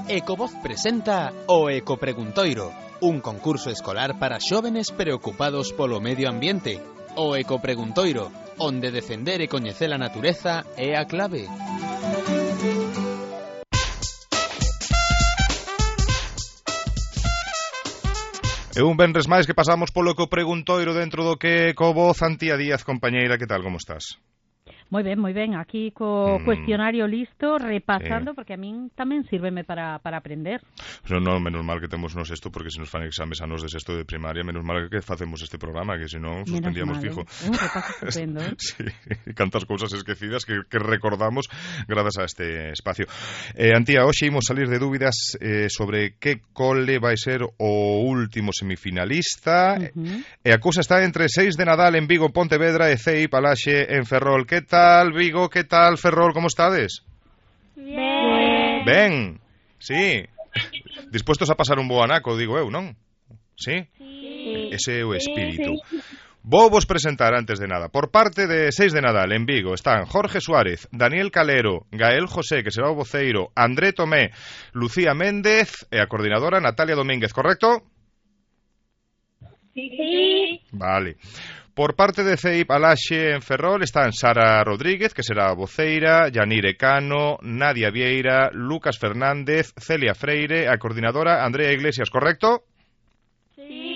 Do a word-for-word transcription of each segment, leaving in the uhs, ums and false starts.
Ecovoz presenta o Ecopreguntoiro, un concurso escolar para xóvenes preocupados polo medio ambiente. O Ecopreguntoiro, onde defender e coñecer a natureza é a clave. E un venres máis que pasamos polo Ecopreguntoiro dentro do que Ecovoz. Antía Díaz, compañeira, que tal, como estás? Moi ben, moi ben, aquí co mm. cuestionario listo, repasando, eh. porque a min tamén sírveme para, para aprender. No, no, menos mal que temos nos esto, porque se nos fan exames a nos de sexto de primaria, menos mal que facemos este programa, que senón suspendíamos fijo. Eh? Un repaso estupendo, eh? Sí, cantas cousas esquecidas que, que recordamos grazas a este espacio. Eh, Antía, hoxe imos salir de dúbidas eh, sobre que cole vai ser o último semifinalista, uh-huh. e a cousa está entre seis de Nadal en Vigo, Pontevedra e C I Palaxe en Ferrol. Que tal? ¿Qué tal, Vigo? ¿Qué tal, Ferrol? ¿Cómo estades? Ben. Ben, sí. Dispuestos a pasar un bo anaco, digo eu, non? Sí? Sí. Ese é o espírito. Sí, sí. Vou vos presentar, antes de nada, por parte de seis de Nadal en Vigo están Jorge Suárez, Daniel Calero, Gael José, que será o voceiro, André Tomé, Lucía Méndez e a coordinadora Natalia Domínguez, correcto? Sí. Vale. Por parte de C I Palaxe en Ferrol están Sara Rodríguez, que será a voceira, Yanire Cano, Nadia Vieira, Lucas Fernández, Celia Freire, a coordinadora Andrea Iglesias, correcto? Sí.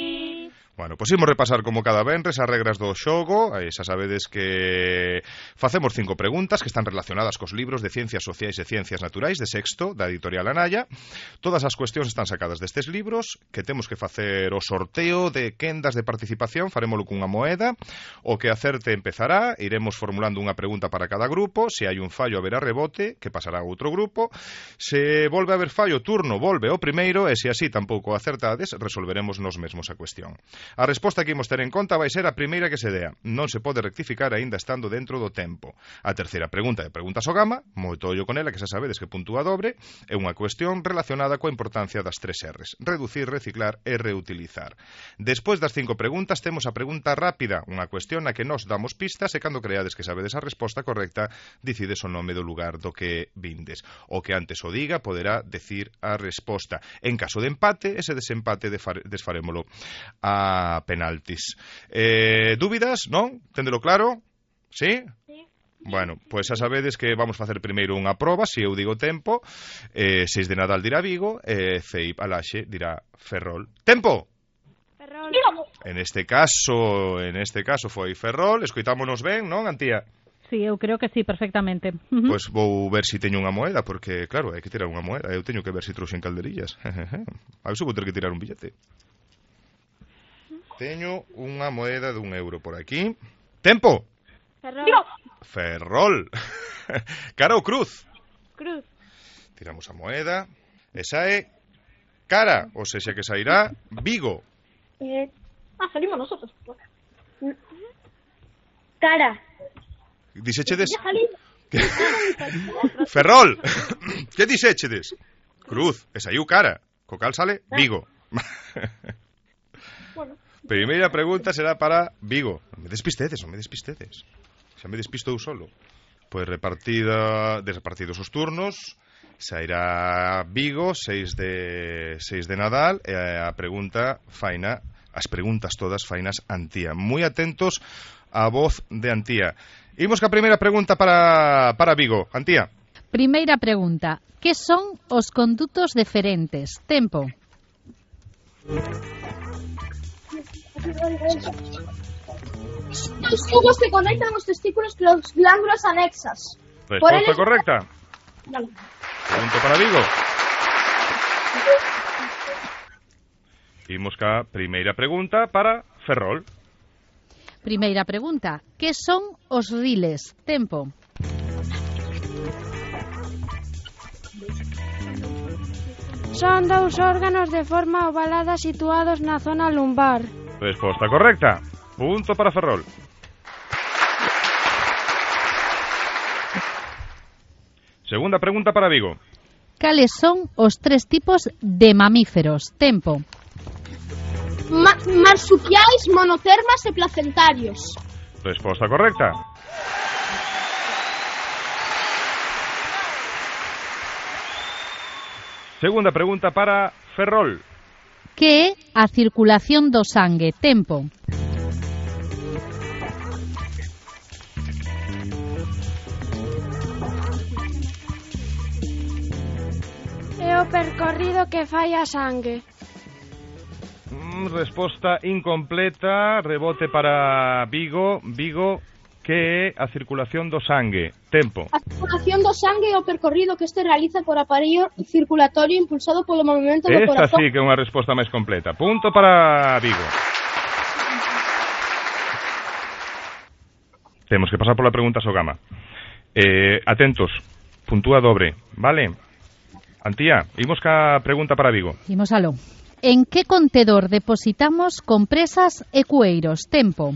Bueno, pois imos repasar como cada venres as regras do xogo. Xa sabedes que facemos cinco preguntas que están relacionadas cos libros de Ciencias Sociais e Ciencias Naturais de sexto, da editorial Anaya. Todas as cuestións están sacadas destes libros, que temos que facer o sorteo de quendas de participación, farémolo cunha moeda. O que acerte empezará, iremos formulando unha pregunta para cada grupo. Se hai un fallo haberá rebote, que pasará a outro grupo. Se volve a haber fallo, turno volve ao primeiro, e se así tampouco acertades, resolveremos nos mesmos a cuestión. A resposta que imos ter en conta vai ser a primeira que se dea. Non se pode rectificar aínda estando dentro do tempo. A terceira pregunta é preguntas ao gama, moito ollo con ela, que xa sabedes que puntúa dobre, é unha cuestión relacionada coa importancia das tres R's: reducir, reciclar e reutilizar. Despois das cinco preguntas temos a pregunta rápida, unha cuestión na que nos damos pistas e cando creades que sabedes a resposta correcta, dicides o nome do lugar do que vindes. O que antes o diga poderá decir a resposta. En caso de empate, ese desempate desfarémolo a a penaltis. Eh, dúbidas, non? Téndelo claro? Sí? Sí. Bueno, pois xa sabedes que vamos facer primeiro unha proba, se eu digo tempo, eh, seis de Nadal dirá Vigo, e eh, C I Palaxe dirá Ferrol. Tempo! Ferrol. En este caso, en este caso foi Ferrol, escoitámonos ben, non, Antía? Sí, eu creo que sí, perfectamente. Uh-huh. Pois vou ver se si teño unha moeda, porque, claro, hai que tirar unha moeda. Eu teño que ver se si trouxen calderillas. A ver se vou ter que tirar un billete. Teño unha moeda dun euro por aquí. Tempo! Ferrol. Ferrol. Cara ou cruz? Cruz. Tiramos a moeda. Esa é cara, ou seja que sairá Vigo. Eh, ah, salimos nosotros. Cara. Dixéchedes? Ya salimos. Ferrol. Que dixéchedes? Cruz. E saiu cara. Co cal sale Vigo. Bueno. Primeira pregunta será para Vigo. Non me despistedes, non me despistedes. Xa me despisto eu solo. Pois repartida, desrepartidos os turnos, sairá Vigo, seis de seis de Nadal, e a pregunta faina, as preguntas todas fainas Antía. Moi atentos á voz de Antía. Imos ca primeira pregunta para para Vigo. Antía. Primeira pregunta: que son os condutos deferentes? Tempo. Os tubos que conectan os testículos con as glándulas anexas. Resposta eles... correcta. Vale. Pregunta para Vigo. Imos ca primeira pregunta para Ferrol. Primeira pregunta: que son os riles? Tempo. Son dous órganos de forma ovalada situados na zona lumbar. Resposta correcta. Punto para Ferrol. Segunda pregunta para Vigo. Cales son os tres tipos de mamíferos? Tempo. Ma marsupiais, monotermas e placentarios. Resposta correcta. Segunda pregunta para Ferrol. Que é a circulación do sangue? Tempo. É o percorrido que fai a sangue. Mm, resposta incompleta, rebote para Vigo. Vigo, que é a circulación do sangue? Tempo. A circulación do sangue é o percorrido que este realiza por aparello circulatorio impulsado polo movimento do Esta corazón. sí que é unha resposta máis completa. Punto para Vigo. Temos que pasar pola pregunta Sogama. Eh, atentos, puntúa dobre, vale? Antía, imos ca pregunta para Vigo. Imos aló. En que contedor depositamos compresas e cueiros? Tempo.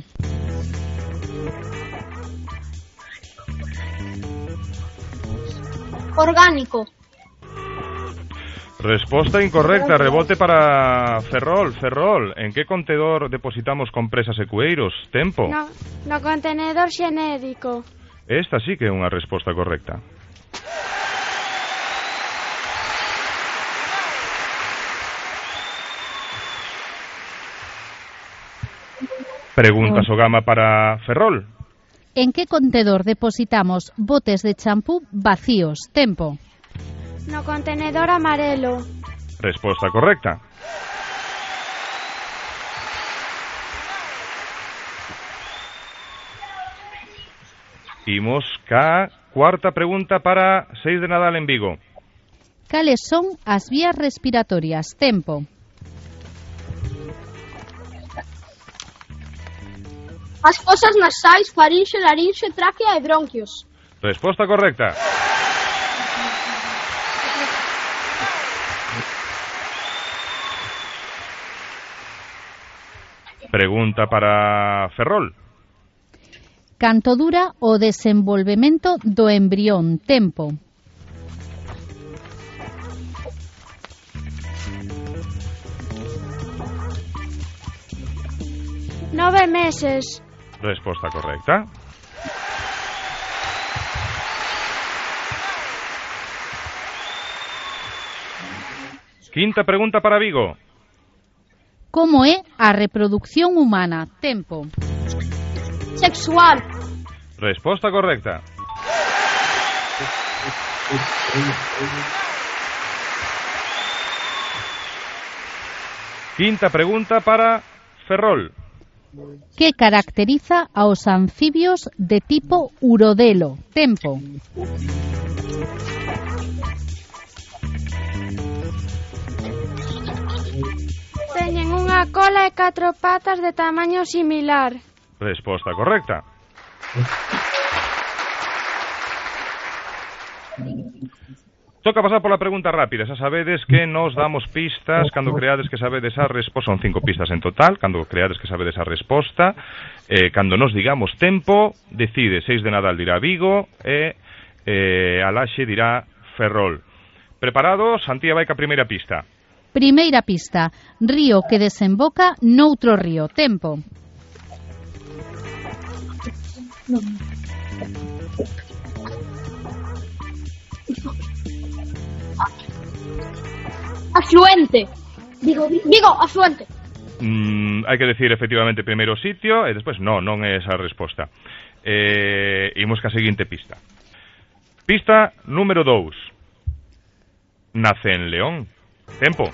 Orgánico. Resposta incorrecta, rebote para Ferrol. Ferrol, en que contedor depositamos compresas e cueiros? Tempo. No, no contenedor xenético. Esta sí que é unha resposta correcta. Pregunta Sogama para Ferrol. En que contedor depositamos botes de champú vacíos? Tempo. No contenedor amarelo. Resposta correcta. Imos ca cuarta pregunta para seis de Nadal en Vigo. Cales son as vías respiratorias? Tempo. As fosas nasais, farinxe, larinxe, tráquea e bronquios. Resposta correcta. Pregunta para Ferrol. Canto dura o desenvolvemento do embrión? Tempo. Nove meses. Resposta correcta. Quinta pregunta para Vigo. Como é a reproducción humana? Tempo. Sexual. Resposta correcta. Quinta pregunta para Ferrol. Que caracteriza aos anfibios de tipo urodelo? Tempo. Teñen unha cola e catro patas de tamaño similar. Resposta correcta. Toca pasar pola pregunta rápida. Xa sabedes que nos damos pistas cando creades que sabedes a resposta. Son cinco pistas en total. Cando creades que sabedes a resposta, eh, cando nos digamos tempo, decide. Seis de Nadal dirá Vigo e eh, Alaxe dirá Ferrol. Preparados? Antía vai ca primeira pista. Primeira pista. Río que desemboca noutro río. Tempo. Afluente. Digo, digo, afluente. Mm, hai que decir efectivamente primeiro sitio e despois no, non é esa a resposta. Eh, imos ca seguinte pista. Pista número dous. Nace en León. Tempo.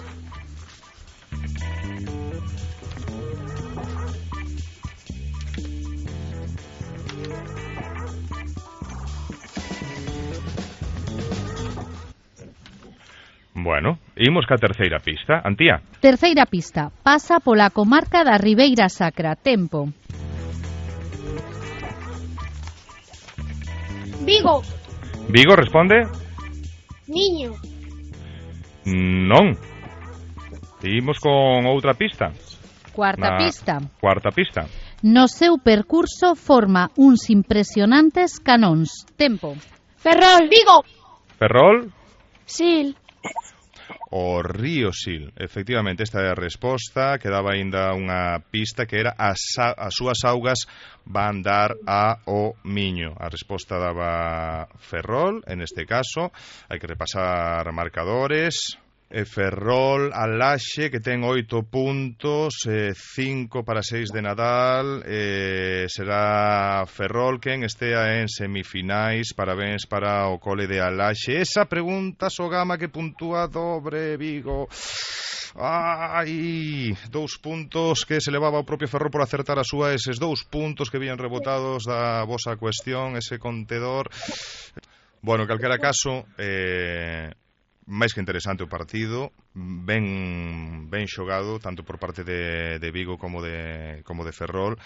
Bueno, imos ca terceira pista. Antía. Terceira pista. Pasa pola comarca da Ribeira Sacra. Tempo. Vigo. Vigo responde? Niño. Non. Imos con outra pista. Cuarta Na pista. Cuarta pista. No seu percurso forma uns impresionantes canóns. Tempo. Ferrol. Vigo. Ferrol. Sil. O río Sil. Efectivamente, esta é a resposta. Quedaba aínda unha pista que era as, as súas augas van dar a o Miño. A resposta daba Ferrol, en este caso. Hai que repasar marcadores. E Ferrol, Alaxe, que ten oito puntos, eh, cinco para seis de Nadal, eh, será Ferrol quen estea en semifinais. Parabéns para o cole de Alaxe. Esa pregunta, Sogama, que puntúa dobre, Vigo. Ai, dous puntos que se levaba o propio Ferrol por acertar a súa, eses dous puntos que vían rebotados da vosa cuestión, ese contedor. Bueno, en calquera caso, eh... máis que interesante o partido, ben ben xogado tanto por parte de, de Vigo como de como de Ferrol.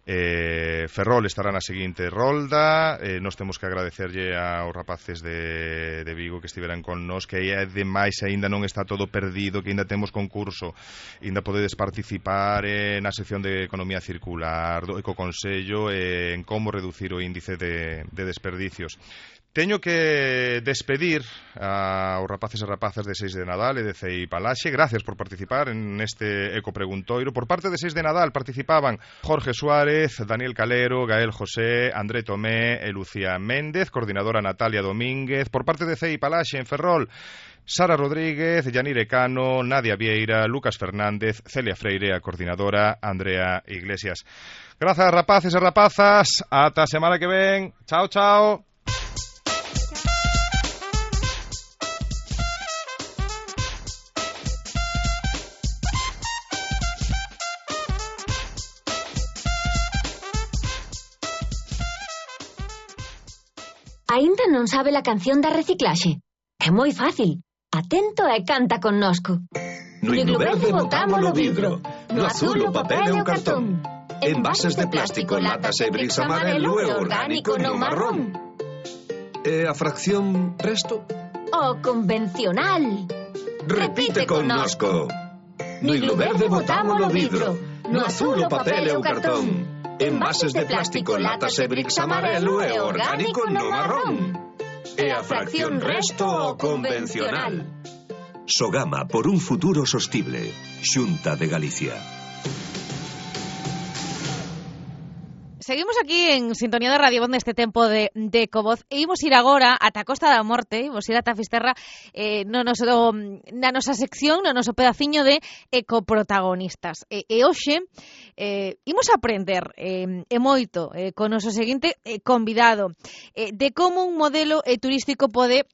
eh, Ferrol estará na seguinte rolda. eh, Nos temos que agradecerlle aos rapaces de, de Vigo que estiveran con nós, que é demais, aínda non está todo perdido, que aínda temos concurso, aínda podedes participar eh, na sección de economía circular do Ecoconsello, eh, en como reducir o índice de, de desperdicios. Teño que despedir aos rapaces e rapazas de seis de Nadal e de C I Palaxe. Gracias por participar en este Ecopreguntoiro. Por parte de seis de Nadal participaban Jorge Suárez, Daniel Calero, Gael José, André Tomé e Lucía Méndez, coordinadora Natalia Domínguez. Por parte de C I Palaxe en Ferrol, Sara Rodríguez, Yanire Cano, Nadia Vieira, Lucas Fernández, Celia Freire, a coordinadora Andrea Iglesias. Grazas, rapaces e rapazas. Ata a semana que ven. Chao, chao. Aínda non sabe a canción da reciclaxe? É moi fácil. Atento e canta connosco. No himno verde botámolo vidro, no azul o papel e o cartón. Envases de plástico, latas e bricks amarelo e orgánico no marrón. E a fracción resto? O convencional. Repite connosco. No himno verde botámolo vidro, no azul o papel e o cartón. Envases de plástico, latas e bricks amarelo e orgánico no marrón. E a fracción resto o convencional. Sogama por un futuro sostible. Xunta de Galicia. Seguimos aquí en sintonía de Radio Voz neste tempo de, de Ecovoz e imos ir agora ata a Costa da Morte, imos ir ata Fisterra eh, no noso, na nosa sección, no noso pedaciño de ecoprotagonistas. E, e hoxe eh, imos aprender eh, e moito eh, con o noso seguinte eh, convidado eh, de como un modelo eh, turístico pode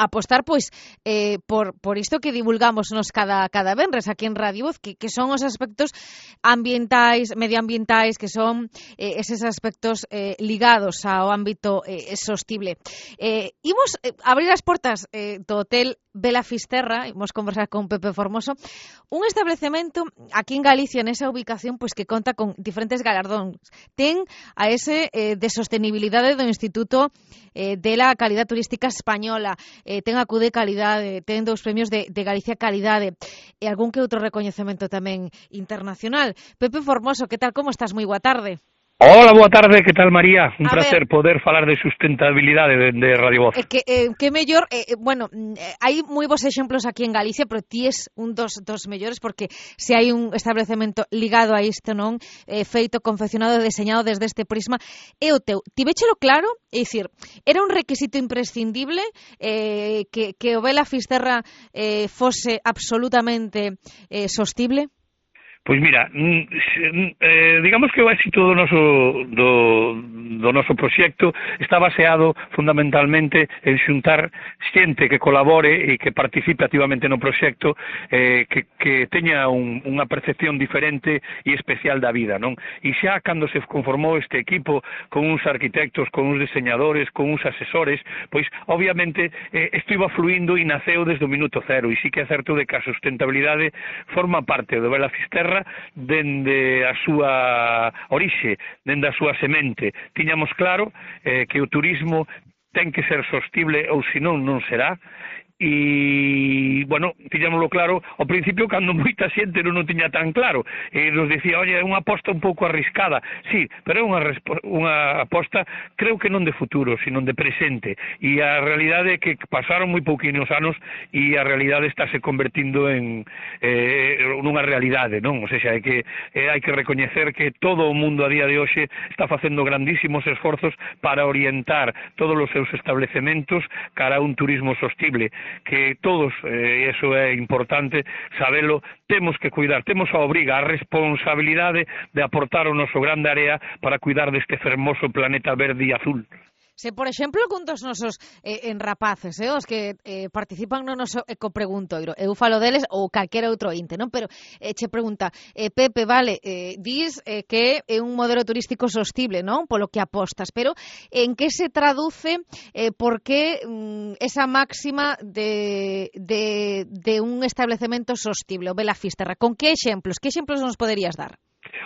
apostar pois eh, por, por isto que divulgamos nos cada, cada venres aquí en Radio Voz, que, que son os aspectos ambientais, medioambientais, que son eh, eses aspectos eh, ligados ao ámbito eh, sostible. Eh, imos eh, abrir as portas eh, do hotel Vela Fisterra, imos conversar con Pepe Formoso, un establecemento aquí en Galicia, nesa ubicación, pois que conta con diferentes galardóns. Ten a ese eh, de sostenibilidade do Instituto eh, de la Calidad Turística Española, eh, ten a Q D Calidade, ten dous premios de, de Galicia Calidade e algún que outro recoñecemento tamén internacional. Pepe Formoso, que tal, como estás? Moi boa tarde. Hola, boa tarde, que tal, María? Un a placer ver, poder falar de sustentabilidade de, de Radio Voz. Eh, que, eh, que mellor, eh, bueno, eh, hai moi bons exemplos aquí en Galicia, pero ti es un dos, dos mellores, porque se hai un establecemento ligado a isto, non? Eh, feito, confeccionado e deseñado desde este prisma, é o teu. Tivéchelo claro? É dicir, era un requisito imprescindible eh, que, que o Vela Fisterra eh, fose absolutamente eh, sostible? Pois mira, eh, digamos que o éxito do noso do, do noso proxecto está baseado fundamentalmente en xuntar xente que colabore e que participe activamente no proxecto, eh, que, que teña un, unha percepción diferente e especial da vida, non? E xa cando se conformou este equipo con uns arquitectos, con uns diseñadores, con uns asesores, pois obviamente eh, isto iba fluindo e naceu desde o minuto cero, e sí que é certo de que a sustentabilidade forma parte do Vela Fisterra dende a súa orixe, dende a súa semente. Tiñamos claro eh, que o turismo ten que ser sostible ou senón non será. E, bueno, tiñámoslo claro ao principio cando moita xente non o tiña tan claro e nos dicía, oye, é unha aposta un pouco arriscada, sí, pero é unha, unha aposta creo que non de futuro, sino de presente, e a realidade é que pasaron moi pouquinos anos e a realidade estáse convertindo en eh, nunha realidade, non? O sea, hai que, eh, hai que recoñecer que todo o mundo a día de hoxe está facendo grandísimos esforzos para orientar todos os seus establecementos cara a un turismo sostible, que todos, eh, eso é importante sabelo, temos que cuidar, temos a obriga, a responsabilidade de aportar o noso grande área para cuidar deste fermoso planeta verde e azul. Se, por exemplo, cun dos nosos eh, en rapaces, eh, os que eh, participan no noso ecopreguntoiro, eu falo deles ou calquera outro inte, non? Pero eh, che pregunta, eh, Pepe, vale, eh, dis eh, que é un modelo turístico sostible, non? Polo que apostas, pero en que se traduce eh, por que mm, esa máxima de, de, de un establecemento sostible, o Bela Fisterra? Con que exemplos? Que exemplos nos poderías dar?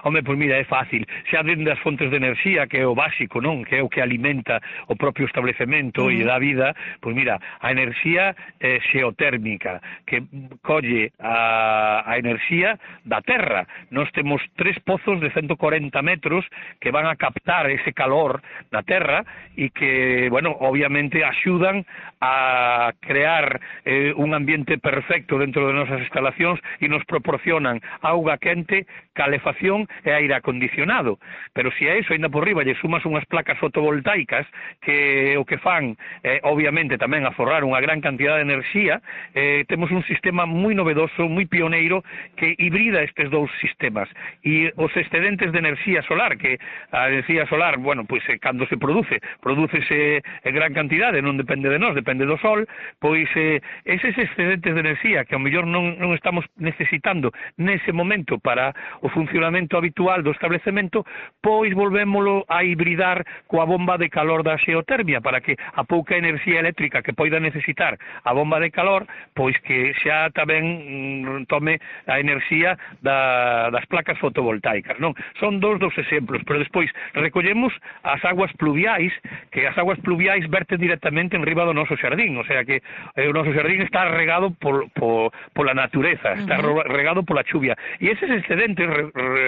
Home, pois mira, é fácil. Xa dende as fontes de enerxía, que é o básico, non? Que é o que alimenta o propio establecemento uh-huh. e dá vida, pois mira, a enerxía eh, xeotérmica, que colle a, a enerxía da terra. Nós temos tres pozos de ciento cuarenta metros que van a captar ese calor da terra e que, bueno, obviamente axudan a crear eh, un ambiente perfecto dentro de nosas instalacións e nos proporcionan auga quente, calefacción e aire acondicionado. Pero se a eso, ainda por riba, lle sumas unhas placas fotovoltaicas que o que fan, eh, obviamente, tamén aforrar unha gran cantidad de enerxía, eh, temos un sistema moi novedoso, moi pioneiro, que hibrida estes dous sistemas. E os excedentes de enerxía solar, que a enerxía solar, bueno, pois eh, cando se produce, prodúcese en gran cantidade, non depende de nós, depende do sol, pois eh, eses excedentes de enerxía que ao mellor non, non estamos necesitando nese momento para o funcionamento habitual do establecemento, pois volvémolo a hibridar coa bomba de calor da xeotermia para que a pouca enerxía eléctrica que poida necesitar a bomba de calor, pois que xa tamén mm, tome a enerxía da, das placas fotovoltaicas, non? Son dous dos exemplos, pero despois recollemos as aguas pluviais, que as aguas pluviais verten directamente en riba do noso xardín, o sea que eh, o noso xardín está regado por, por, pola natureza, está uh-huh. regado pola chuvia, e eses excedentes re, re,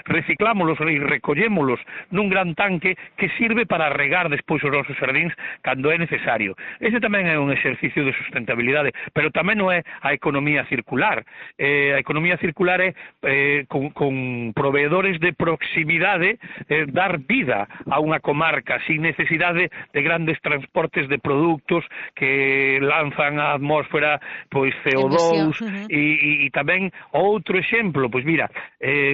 reciclámolos e recollémolos nun gran tanque que sirve para regar despois os nosos xardíns cando é necesario. Ese tamén é un exercicio de sustentabilidade, pero tamén non é a economía circular. Eh, a economía circular é eh, con, con proveedores de proximidade eh, dar vida a unha comarca sin necesidade de grandes transportes de produtos que lanzan á atmósfera pois C O dous uh-huh. e, e, e tamén outro exemplo, pois mira, eh,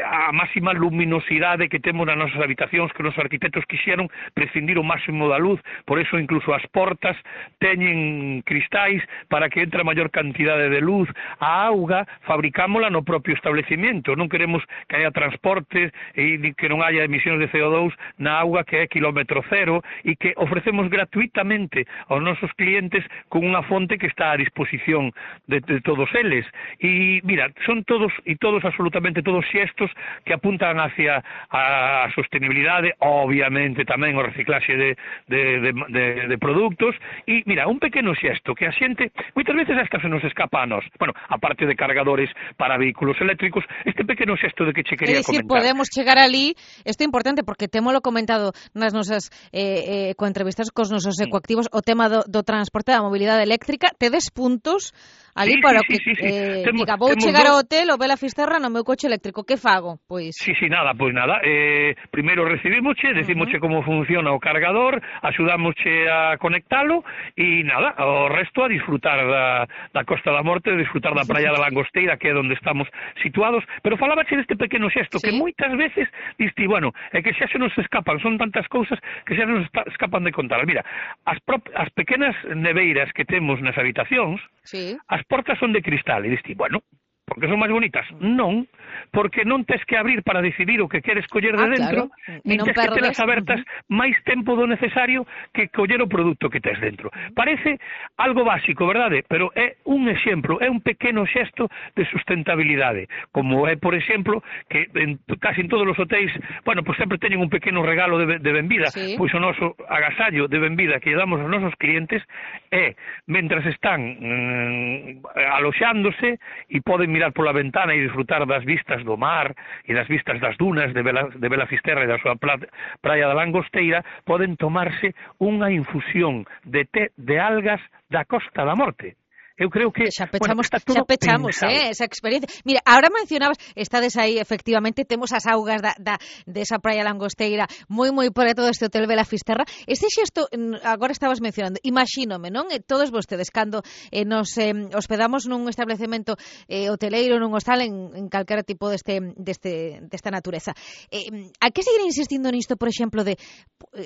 a máxima luminosidade que temos nas nosas habitacións, que os arquitectos quixeron prescindir o máximo da luz, por eso incluso as portas teñen cristais para que entre a maior cantidade de luz. A auga fabricámola no propio establecimiento, non queremos que haya transportes e que non haya emisións de C O dous na auga que é kilómetro cero e que ofrecemos gratuitamente aos nosos clientes con unha fonte que está a disposición de, de todos eles. E mira, son todos e todos absolutamente todos xestos que apuntan hacia a sostenibilidade, obviamente tamén o reciclaxe de, de, de, de, de produtos, e mira, un pequeno xesto que a xente, moitas veces hasta se nos escapa a nós, bueno, aparte de cargadores para vehículos eléctricos, este pequeno xesto de que che quería comentar. É dicir, comentar. podemos chegar ali, isto é importante porque témolo comentado nas nosas eh, eh, coentrevistas cos nosos ecoactivos, o tema do, do transporte da mobilidade eléctrica, tedes puntos ali sí, para sí, que sí, sí. Eh, Temo, diga, vou chegar dos... ao hotel ou Bela Fisterra no meu coche eléctrico, que fago? Pois Sí, sí, nada, pois nada, eh, primeiro recibimosche, decimosche uh-huh. como funciona o cargador, axudámosche a conectalo e nada, o resto a disfrutar da, da Costa da Morte, a disfrutar da Praia da Langosteira, que é onde estamos situados, pero falábache deste pequeno xesto, sí. que moitas veces diste, bueno, é que xa se nos escapan, son tantas cousas que xa nos escapan de contar. Mira, as, prop, as pequenas neveiras que temos nas habitacións, sí. as portas son de cristal, e diste, bueno, porque son máis bonitas? Non, porque non tes que abrir para decidir o que queres coller de ah, dentro, claro. nin tes que telas abertas uh-huh. máis tempo do necesario que coller o produto que tes dentro. Parece algo básico, verdade? Pero é un exemplo, é un pequeno xesto de sustentabilidade, como é, por exemplo, que en, casi en todos os hotéis, bueno, pues sempre teñen un pequeno regalo de, de benvida, sí. pois o noso agasallo de benvida que lle damos aos nosos clientes é, mentras están mm, aloxándose e poden mirar pola ventana e disfrutar das vistas do mar e das vistas das dunas de Bela, de Bela Fisterra e da súa praia da Langosteira, poden tomarse unha infusión de té de algas da Costa da Morte. eu creo que xa pechamos, bueno, está todo xa pechamos eh, esa experiencia. Mira, ahora mencionabas, estades aí, efectivamente, temos as augas da, da, de esa praia langosteira moi moi preto deste hotel Vela Fisterra. Este xesto, agora estabas mencionando, imagínome, non? E todos vostedes, cando eh, nos eh, hospedamos nun establecemento eh, hoteleiro, nun hostal, en, en calquera tipo deste, deste, desta natureza. Eh, hai que seguir insistindo nisto, por exemplo, de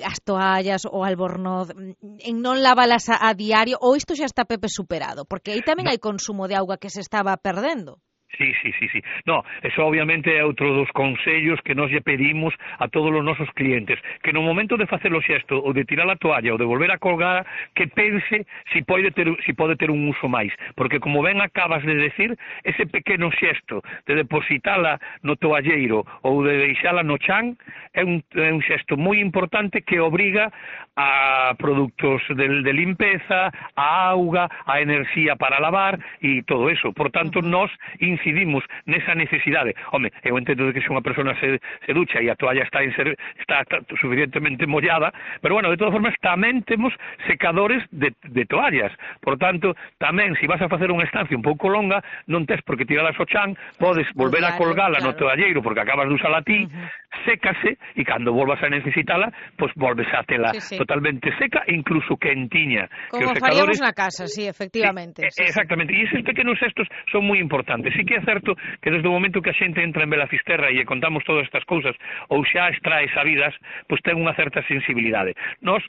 as toallas ou albornoz, en non lavalas a, a diario, ou isto xa está, Pepe, superado? Porque aí tamén hai consumo de auga que se estaba perdendo. Sí, sí, sí, sí. No, eso obviamente é outro dos consellos que nós lle pedimos a todos os nosos clientes, que no momento de facer o xesto ou de tirar a toalla ou de volver a colgar, que pense si pode ter, si pode ter un uso máis, porque como ben acabas de decir, ese pequeno xesto de depositala no toalleiro ou de deixala no chan é un, é un xesto moi importante que obriga a produtos de, de limpeza, a auga, a enerxía para lavar e todo eso. Por tanto, nós incidimos nesa necesidade. Home, eu entendo que se unha persona se, se ducha e a toalla está, en ser, está, está suficientemente mollada, pero bueno, de todas formas tamén temos secadores de, de toallas. Por tanto, tamén se vas a facer unha estancia un pouco longa, non tes por que tiralas ao chan, podes volver a colgala no toalleiro porque acabas de usala ti, uh-huh. sécase e cando volvas a necesitala, pois volves a tela sí, sí. totalmente seca e incluso quentiña. Como que os faríamos secadores... na casa, sí, efectivamente. Sí, sí, exactamente, e eses pequenos gestos son moi importantes. Sí que é certo que desde o momento que a xente entra en Vela Fisterra e contamos todas estas cousas ou xa extrae sabidas, pois ten unha certa sensibilidade. Nós,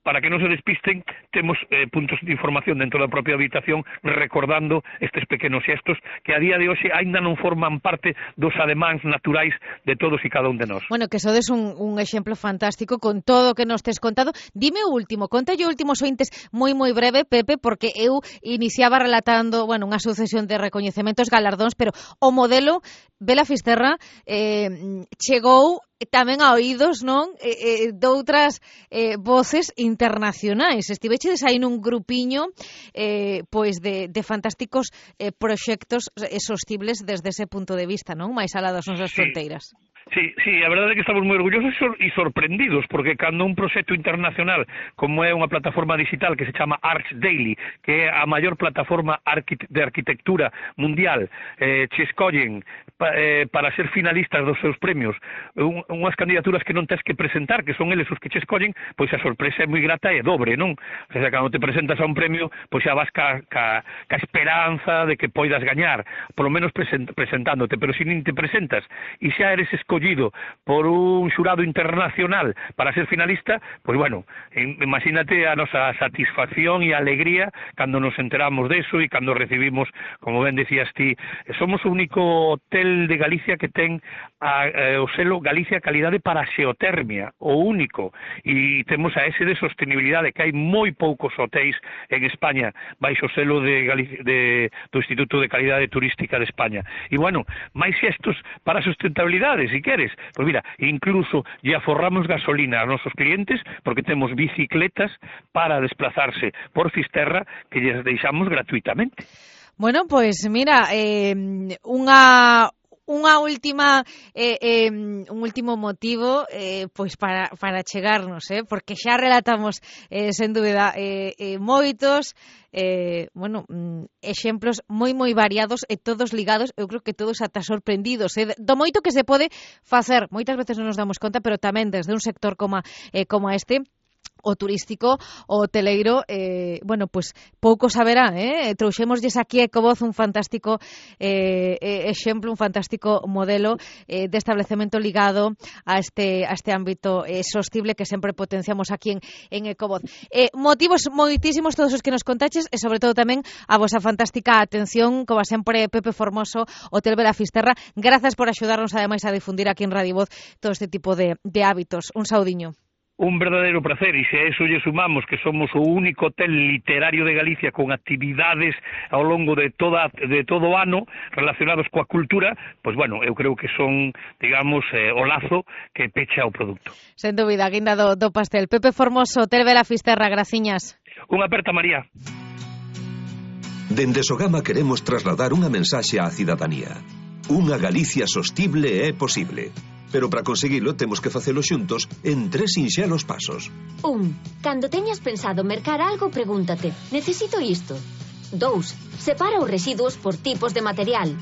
para que non se despisten, temos eh, puntos de información dentro da propia habitación recordando estes pequenos xestos que a día de hoxe aínda non forman parte dos ademáns naturais de todos e cada un de nós. Bueno, que sodes un, un exemplo fantástico con todo o que nos tes contado. Dime o último, conta yo últimos ointes moi moi breve, Pepe, porque eu iniciaba relatando, bueno, unha sucesión de recoñecementos, galardóns, pero o modelo Vela Fisterra eh, chegou tamén a oídos, non, eh, eh, doutras eh, voces internacionais. Estivechedes aí nun grupiño eh, pois de, de fantásticos eh, proxectos eh, sostibles desde ese punto de vista, non? Mais alá das nosas sí. fronteiras. Sí, sí, a verdade é que estamos moi orgullosos e sorprendidos, porque cando un proxecto internacional, como é unha plataforma digital que se chama Arch Daily, que é a maior plataforma de arquitectura mundial, eh, che escollen pa, eh, para ser finalistas dos seus premios, un, unhas candidaturas que non tens que presentar, que son eles os que che escollen, pois a sorpresa é moi grata e dobre, non? O sea, cando te presentas a un premio, pois xa vas ca, ca, ca esperanza de que poidas gañar, polo menos present, presentándote, pero se nin te presentas e xa eres escollido por un xurado internacional para ser finalista, pois bueno, imagínate a nosa satisfacción e alegría cando nos enteramos deso e cando recibimos, como ben decías ti, somos o único hotel de Galicia que ten a, a, o selo Galicia Calidade para a Xeotermia, o único, e temos a ese de sostenibilidade, que hai moi poucos hotéis en España baixo o selo de Galicia, de, do Instituto de Calidade Turística de España. E bueno, máis xestos para a sustentabilidade, si queres, pois mira, incluso lle aforramos gasolina aos nosos clientes porque temos bicicletas para desplazarse por Fisterra que lles deixamos gratuitamente. Bueno, pois mira, eh, unha unha última eh, eh, un último motivo eh, pois para, para chegarnos, eh, porque xa relatamos eh, sen dúbida eh, eh, moitos eh, bueno, mm, exemplos moi moi variados e todos ligados, eu creo que todos ata sorprendidos eh, do moito que se pode facer, moitas veces non nos damos conta, pero tamén desde un sector como, eh, como este, o turístico, o hoteleiro, eh, bueno, pues pouco saberá, eh? Trouxémoslles aquí a Ecovoz un fantástico eh, exemplo, un fantástico modelo eh, de establecemento ligado a este, a este ámbito eh, sostible que sempre potenciamos aquí en, en Ecovoz. Eh, motivos moitísimos todos os que nos contaches e sobre todo tamén a vosa fantástica atención, como sempre, Pepe Formoso, Hotel Vela Fisterra. Grazas por axudarnos ademais a difundir aquí en Radio Voz todo este tipo de, de hábitos. Un saudiño. Un verdadeiro placer, e se a eso lle sumamos que somos o único hotel literario de Galicia con actividades ao longo de toda de todo o ano relacionados coa cultura, pois bueno, eu creo que son, digamos, eh, o lazo que pecha o produto. Sen dúbida, guinda do, do pastel. Pepe Formoso, Hotel Vela Fisterra, graciñas. Unha aperta, María. Dende Sogama queremos trasladar unha mensaxe á cidadanía. Unha Galicia sostible é posible. Pero para conseguilo temos que facelo xuntos en tres sinxelos pasos. Un, cando teñas pensado mercar algo, pregúntate, necesito isto? dous. Separa os residuos por tipos de material.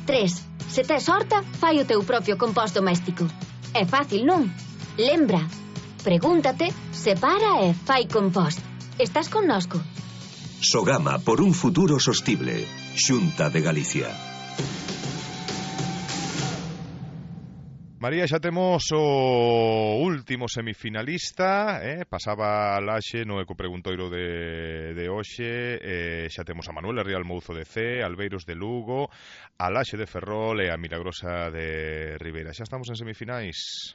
tres. Se tes horta, fai o teu propio compost doméstico. É fácil, non? Lembra, pregúntate, separa e fai compost. Estás connosco? Sogama por un futuro sostible. Xunta de Galicia. María, xa temos o último semifinalista, eh? Pasaba a Laxe no ecopreguntoiro de, de hoxe, eh, xa temos a Manuela Rial Mouzo de C, Albeiros de Lugo, a Laxe de Ferrol e a Milagrosa de Ribeira. Xa estamos en semifinais.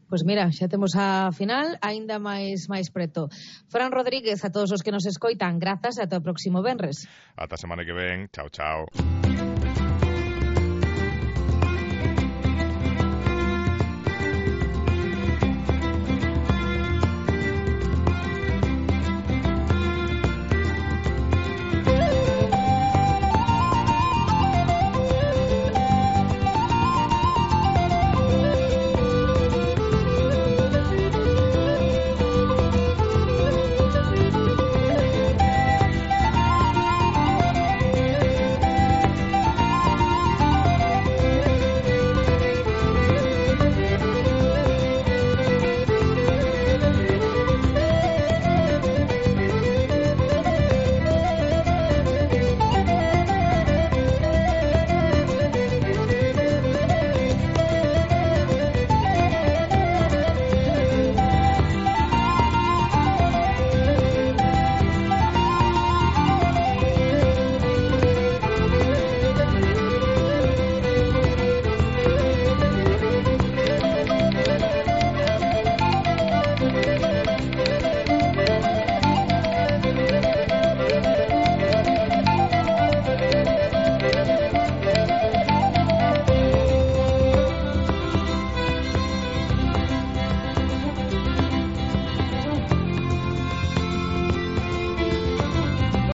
Pois mira, xa temos a final aínda máis máis preto. Fran Rodríguez, a todos os que nos escoitan, grazas e ata o próximo venres. Ata a semana que ven, chao, chao.